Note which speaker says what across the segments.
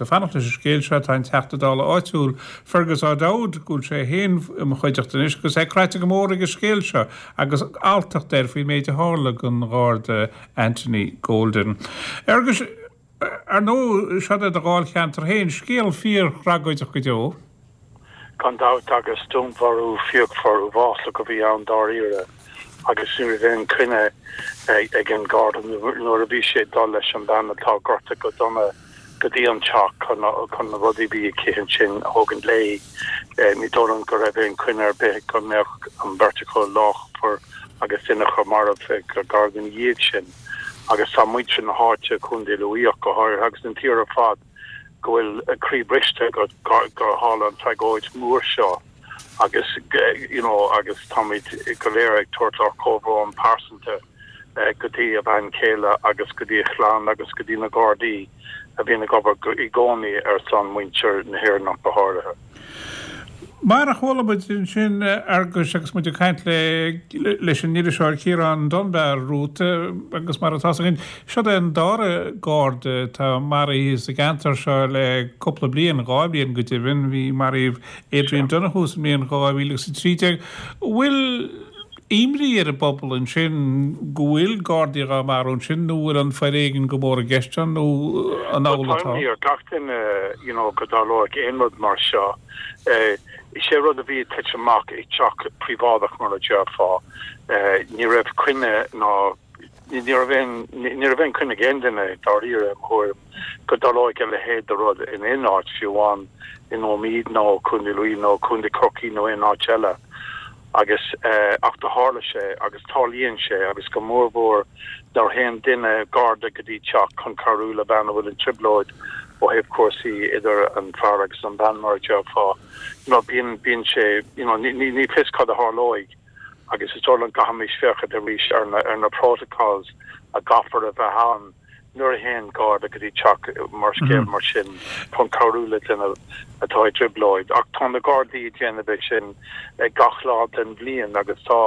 Speaker 1: Ag fanacht leis an scéal seo tá an Teachta Dála áitiúil, Fergus O'Dowd, go bhfuil sé féin i mo chuideachta anois agus é craite go mór ag an scéal seo agus alltacht air faoin méid a tharla don Gharda Anthony Golden. Fherguis, ar ndóigh, seod é do dháilcheantar féin, scéal fíor-thragóideach go deo.
Speaker 2: Gan dabht, agus dúnmharú fíochmhar uafásach a bhí ann dáiríre, agus ní raibh aon choinne ag an Gharda nuair a bhí sé ag dul leis an bhean atá gortaithe go dona go dtí an teach chun na rudaí a bhí aici ansin a thógaint léi. Ní dóigh liom go raibh aon choinne ar bith go mbeadh an bheirt acu lachmhar agus duine acu marbh ag Garda ina dhiaidh sin. Agus tá muintir na háite, Contae Lú ach go háirithe, agus an tír ar fad, go bhfuil a croí briste gur tharla an tragóid mhór seo agus you know agus táimid go léir ag tabhairt ár comhbhrón pearsanta go dtí a bhean chéile agus go dtí a chlann agus go dtí na Gardaí a bhíonn ag obair i gcónaí ar son muintir na hÉireann ach go háirithe.
Speaker 1: Mar a chuala muid ansin, Fhearguis, agus muid ag caint le leis an iriseoir Ciarán Dunbar romhat, agus mar atá 'fhios againn, seod é an dara Garda atá maraithe sa gceantar seo le cúpla bliain, 2 bhliain go deimhin, bhí maraíodh Adrian Donohoe sa mbliain 2013. Bhfuil imní ar an bpobal ansin go bhfuil Gardaí dhá marú ansin nó bhfuil an foréigean go mór i gceist ann nó an
Speaker 2: amhlaidh atá? Tá imní ar gach duine you know go dtarlóidh aon rud mar seo. Is é rud a bhí ag titim amach i dteach príobháideach mar a déarfá. Ní raibh coinne ná ní raibh aon ní raibh aon choinne ag aon duine dáiríre i mo thuairim go dtarlóidh a leithéid de rud in aon áit fiú amháin in Ómaigh nó Contae Lú nó Contae Chorcaí nó aon áit eile. Agus, ach do tharla sé, agus tarlaíonn sé, agus go mór mhór nuair a théann duine, garda, go dtí teach chun cabhrú le bean a bhfuil i dtrioblóid ó thaobh cúrsaí idir an fear agus an bhean, mar a déarfá. You know, bíonn, bíonn sé, you know, ní, ní, ní fios cad a tharlóidh agus is dóigh liom gcaithfimis féachaint arís ar na, ar na protocols a gcaithfear a bheith ann. Nuair a théann Garda go dtí teach mar scéal mar sin chun cabhrú le duine atá i dtrioblóid, ach tá na Gardaí ag déanamh é sin gach lá den bhliain agus tá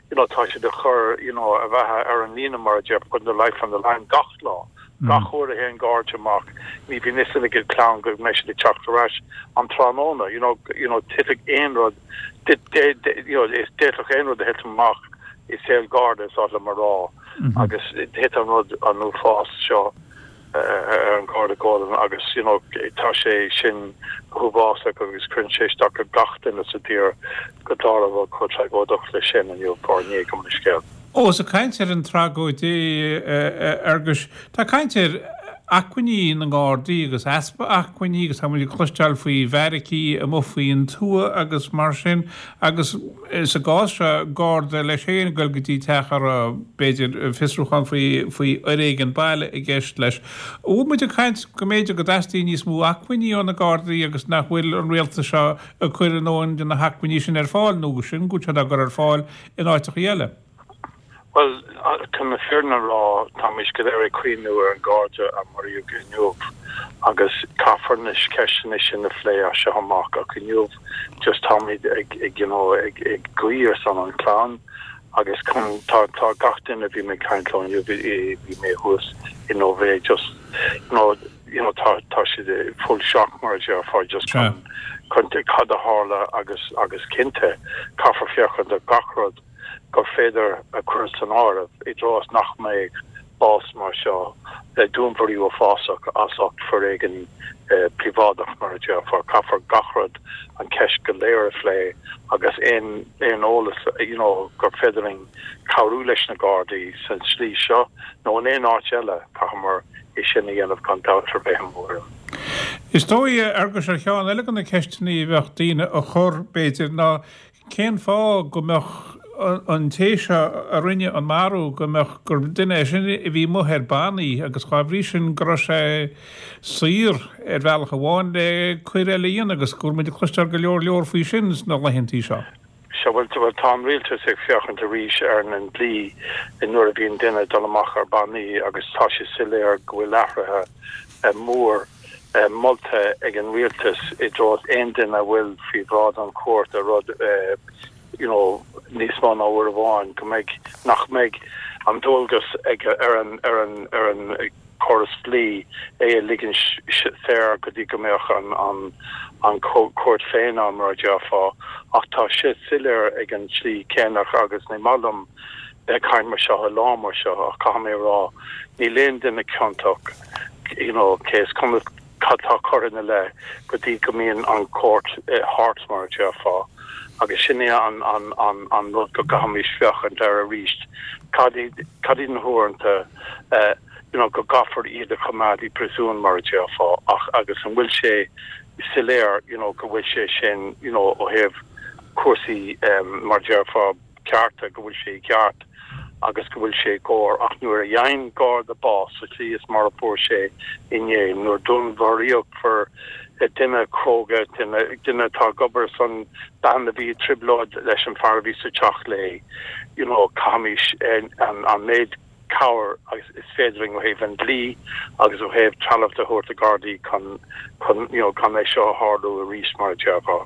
Speaker 2: you know tá siad ag cur you know a bheatha ar an líne mar a déarfá, putting their life on the line gach lá. Gach uair a théann Garda amach ní bhíonn fhios ag a gclann go mbeidh siad ag teacht ar ais an tráthnóna you know you know titfidh aon rud you know d'fhéadfadh aon rud a thitim amach i saol Garda is oth liom a rá. agus thit an rud an uafás seo ar an Gharda Golden agus you know tá sé sin go huafásach agus cuireann sé isteach ar gach duine sa tír go dtarla rud chomh tragóideach leis sin inniu fár ndiaidh gabh mo leithscéal.
Speaker 1: Ó, is ag caint ar an tragóid, a Fhearguis, tá caint ar acmhainní na nGardaí agus easpa acmhainní agus tá muid ag cloisteáil faoi bheairicí amuigh faoin tuath agus mar sin agus sa gcás seo, Garda leis féin ag dul go dtí teach a raibh, b'fhéidir, fiosrúchán faoi faoi fhoréigean baile i gceist leis. An bhfuil muid ag caint go mb'fhéidir go dteastaíonn níos mó acmhainní ó na Gardaí agus nach bhfuil an rialtas seo ag cur a ndóthain de na hacmhainní sin ar fáil nó sin go bhfuil siad á gcur ar fáil in áiteachaí eile?
Speaker 2: Bhuel, chun na fírinne a rá, táimid go léir ag cuimhniú ar an Gharda a maraíodh inniu agus caithfear na ceisteanna sin a phlé as seo amach ach inniu just táimid ag, ag you know, ag, ag guí ar son an chlann agus chun, tá, tá gach duine a bhí mé ag caint leo inniu, bhí, bhí mé thuas in Ó Mhéith just, you know, you know, tá, tá siad i full shock mar a déarfá just chun, chun cad a tharla agus, agus cinnte caithfear féachaint ar gach rud. gur féidir a chur san áireamh i dtreo is nach mbeidh bás mar seo le dúnmharú uafásach as ucht foréigean príobháideach, mar a déarfá. Caithfear gach rud, an cheist go léir a phlé agus aon aon eolas you know gur féidir linn cabhrú leis na Gardaí san tslí seo nó in aon áit eile, caithfimid é sin a dhéanamh gan dabht ar bith i mo thuairim.
Speaker 1: Is dóigh, a Fhearguis, ar cheann eile de na ceisteanna a bheadh daoine a chur, b'fhéidir, ná Cén fáth go mbeadh an té seo a rinne an marú, go mbeadh, gur duine é sin a bhí amuigh ar bannaí agus dhá bhrí sin go raibh sé saor ar bhealach amháin le coir eile a dhéanamh agus go bhfuil muid ag cloisteáil go leor leor faoi sin sna laethantaí seo.
Speaker 2: Sea, bhuel, bhuel, tá an rialtas ag féachaint arís ar an dlí nuair a bhíonn duine ag dul amach ar bannaí agus tá sé soiléir go bhfuil athruithe mór molta ag an rialtas i dtreo aon duine a bhfuil faoi bhráid an chúirt ar rud you know níos mó ná uair amháin go mbeidh nach mbeidh an dualgas ag ar an ar an ar an. córas dlí é a ligean saor go dtí go mbeadh an an an cúirt féin ann mar a déarfá ach tá sé soiléir ag an tslí céanna agus ní maith liom bheith ag caint mar seo i lá mar seo ach caithfidh mé a rá níl aon duine ciontach you know cé is cuma cad tá curtha ina leith go dtí go mbíonn an chúirt thart mar a déarfá agus sin é an an an an rud go gcaithfimis féachaint air arís cad iad cad iad na huaireanta you know go gcaithfear iad a choimeád i bpríosún mar a déarfá ach agus an bhfuil sé soiléir you know go bhfuil sé sin you know ó thaobh cúrsaí mar a déarfá cearta, go bhfuil sé i gceart agus go bhfuil sé i gcóir. Ach nuair a fhaigheann Garda bás sa tslí is mar a fuair sé inné, nuair dúnmharaíodh fir, duine cróga, duine, duine atá ag obair ar son bean a bhí i dtrioblóid leis an fear a bhí sa teach léi, you know, caithfimis an, an méid cabhair agus is féidir linn ó thaobh an dlí agus ó thaobh trealamh de a thabhairt do Ghardaí chun, chun, you know, gan é seo a tharlú arís mar a déarfá.